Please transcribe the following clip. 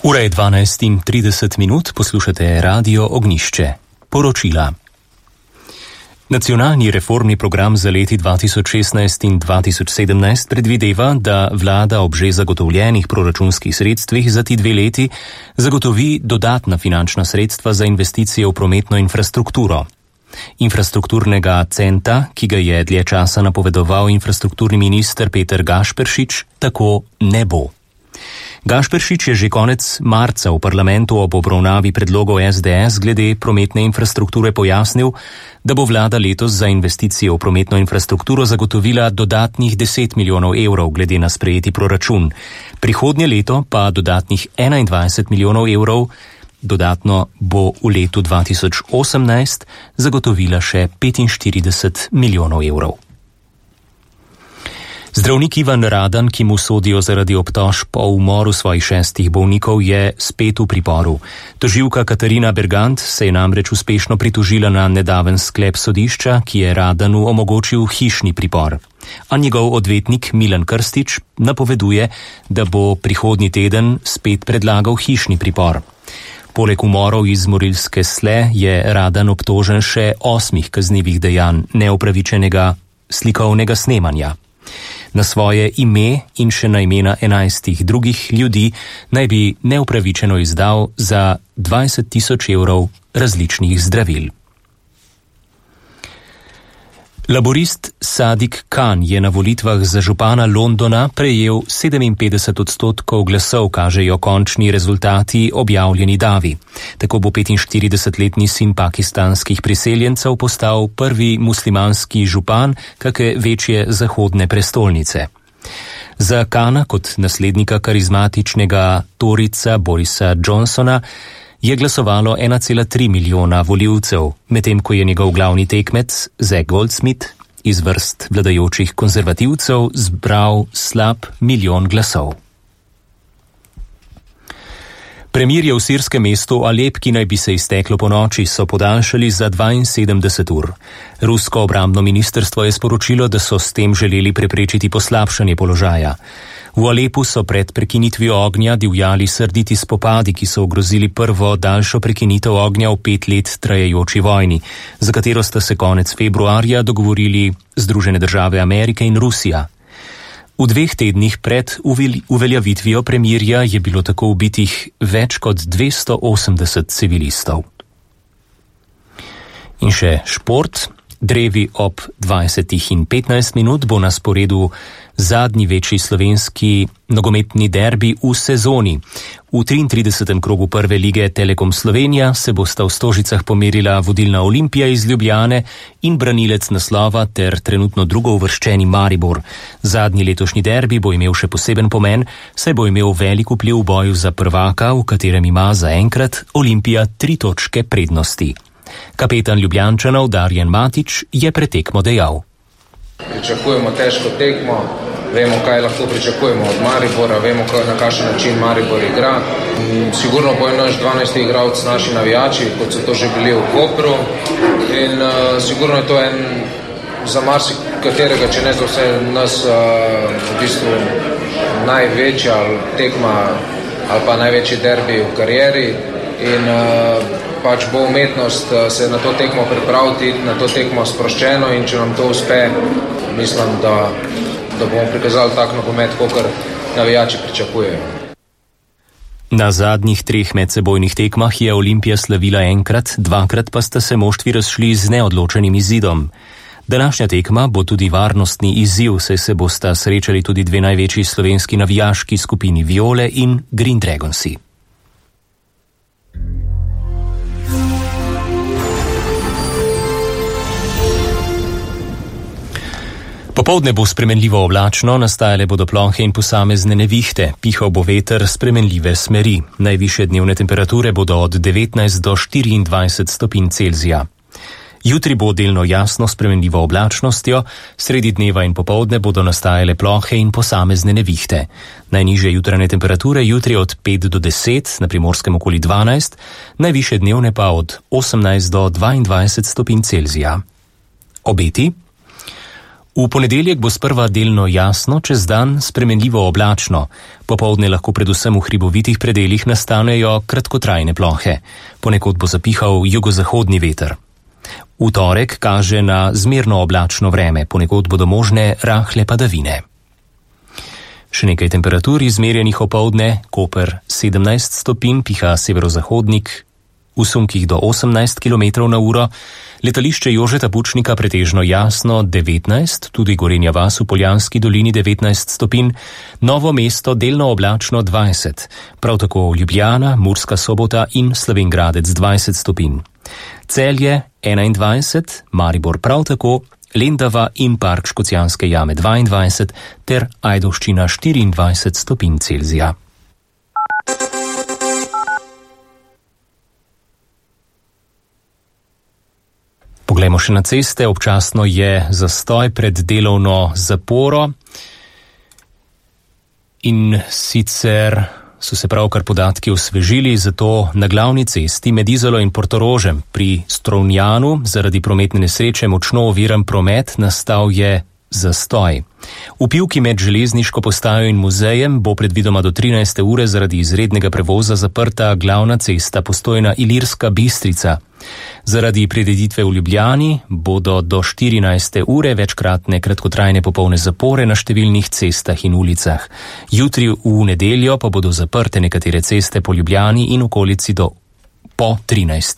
Ura je 12:30, poslušate Radio Ognjišče. Poročila. Nacionalni reformni program za leti 2016 in 2017 predvideva, da vlada ob že zagotovljenih proračunskih sredstvih za ti 2 leti zagotovi dodatna finančna sredstva za investicije v prometno infrastrukturo. Infrastrukturnega centa, ki ga je dlje časa napovedoval infrastrukturni minister Peter Gašperšič, tako ne bo. Gašperšič je že konec marca v parlamentu ob obravnavi predlogov SDS glede prometne infrastrukture pojasnil, da bo vlada letos za investicije v prometno infrastrukturo zagotovila dodatnih 10 milijonov evrov glede na sprejeti proračun. Prihodnje leto pa dodatnih 21 milijonov evrov, dodatno bo v letu 2018 zagotovila še 45 milijonov evrov. Zdravnik Ivan Radan, ki mu sodijo zaradi obtožb o umoru svojih 6 bolnikov, je spet v priporu. Tožilka Katarina Bergant se je namreč uspešno pritožila na nedaven sklep sodišča, ki je Radanu omogočil hišni pripor. A njegov odvetnik Milan Krstič napoveduje, da bo prihodnji teden spet predlagal hišni pripor. Poleg umorov iz Morilske Sle je Radan obtožen še 8 kaznivih dejanj neupravičenega slikovnega snemanja. Na svoje ime in še na imena 11 drugih ljudi naj bi neupravičeno izdal za 20.000 evrov različnih zdravil. Laborist Sadiq Khan je na volitvah za župana Londona prejel 57% glasov, kažejo končni rezultati objavljeni davi. Tako bo 45-letni sin pakistanskih priseljencev postal prvi muslimanski župan kake večje zahodne prestolnice. Za Khana kot naslednika karizmatičnega Toryca Borisa Johnsona je glasovalo 1,3 milijona volivcev, medtem ko je njegov glavni tekmec Zac Goldsmith iz vrst vladajočih konzervativcev zbral slab 1 milijon glasov. Premirje v sirskem mestu Alep, ki naj bi se izteklo ponoči, so podaljšali za 72 ur. Rusko obrambno ministrstvo je sporočilo, da so s tem želeli preprečiti poslabšanje položaja. V Alepu so pred prekinitvijo ognja divjali srditi spopadi, ki so ogrozili prvo daljšo prekinitev ognja v 5 let trajajoči vojni, za katero sta se konec februarja dogovorili Združene države Amerike in Rusija. V 2 tednih pred uveljavitvijo premirja je bilo tako ubitih več kot 280 civilistov. In še šport. Drevi ob 20:15 bo na sporedu zadnji večji slovenski nogometni derbi v sezoni. V 33. krogu prve lige Telekom Slovenija se bosta v Stožicah pomerila vodilna Olimpija iz Ljubljane in branilec naslova ter trenutno drugouvrščeni Maribor. Zadnji letošnji derbi bo imel še poseben pomen, saj bo imel velik vpliv v boju za prvaka, v katerem ima zaenkrat Olimpija 3 točke prednosti. Kapetan Ljubljančanov Darjan Matić je pred tekmo dejal: Pričakujemo težko tekmo, vemo, kaj lahko pričakujemo od Maribora, vemo, na kakšen način Maribor igra. Sigurno bo naš 12. igralec naši navijači, kot so to že bili v Kopru. In sigurno je to za marsikaterega, če ne za vse nas, v bistvu največja tekma ali pa največji derbi v karieri. In pač bo umetnost se na to tekmo pripraviti, na to tekmo sproščeno, in če nam to uspe, mislim, da bomo prikazali tak nogomet, kakor navijači pričakujejo. Na zadnjih 3 medsebojnih tekmah je Olimpija slavila enkrat, 2-krat pa sta se moštvi razšli z neodločenim izidom. Današnja tekma bo tudi varnostni izziv, saj se bosta srečali tudi 2 največji slovenski navijaški skupini Viole in Green Dragonsi. Popoldne bo spremenljivo oblačno, nastajale bodo plohe in posamezne nevihte, pihal bo veter spremenljive smeri. Najvišje dnevne temperature bodo od 19 do 24 stopinj Celzija. Jutri bo delno jasno spremenljivo oblačnostjo, sredi dneva in popoldne bodo nastajale plohe in posamezne nevihte. Najnižje jutranje temperature jutri od 5 do 10, na Primorskem okoli 12, najvišje dnevne pa od 18 do 22 stopinj Celzija. Obeti. V ponedeljek bo sprva delno jasno, čez dan spremenljivo oblačno. Popoldne lahko predvsem v hribovitih predeljih nastanejo kratkotrajne plohe. Ponekod bo zapihal jugozahodni veter. V torek kaže na zmerno oblačno vreme, ponekod bodo možne rahle padavine. Še nekaj temperatur izmerjenih opoldne, Koper 17 stopinj, piha severozahodnik, v sunkih do 18 km na uro, letališče Jožeta Pučnika pretežno jasno 19, tudi Gorenja vas v Poljanski dolini 19 stopinj, Novo mesto delno oblačno 20, prav tako Ljubljana, Murska Sobota in Slovenj Gradec 20 stopinj. Celje 21, Maribor prav tako, Lendava in Park Škocjanske jame 22 ter Ajdovščina 24 stopinj Celzija. Poglejmo še na ceste, občasno je zastoj pred delovno zaporo in sicer so se pravkar podatki osvežili, zato na glavni cesti med Izolo in Portorožem pri Strunjanu zaradi prometne nesreče močno oviran promet, nastal je zastoj. V Pivki med železniško postajo in muzejem bo predvidoma do 13. ure zaradi izrednega prevoza zaprta glavna cesta Postojna Ilirska Bistrica. Zaradi prireditve v Ljubljani bodo do 14. ure večkratne kratkotrajne popolne zapore na številnih cestah in ulicah. Jutri v nedeljo pa bodo zaprte nekatere ceste po Ljubljani in okolici po 13.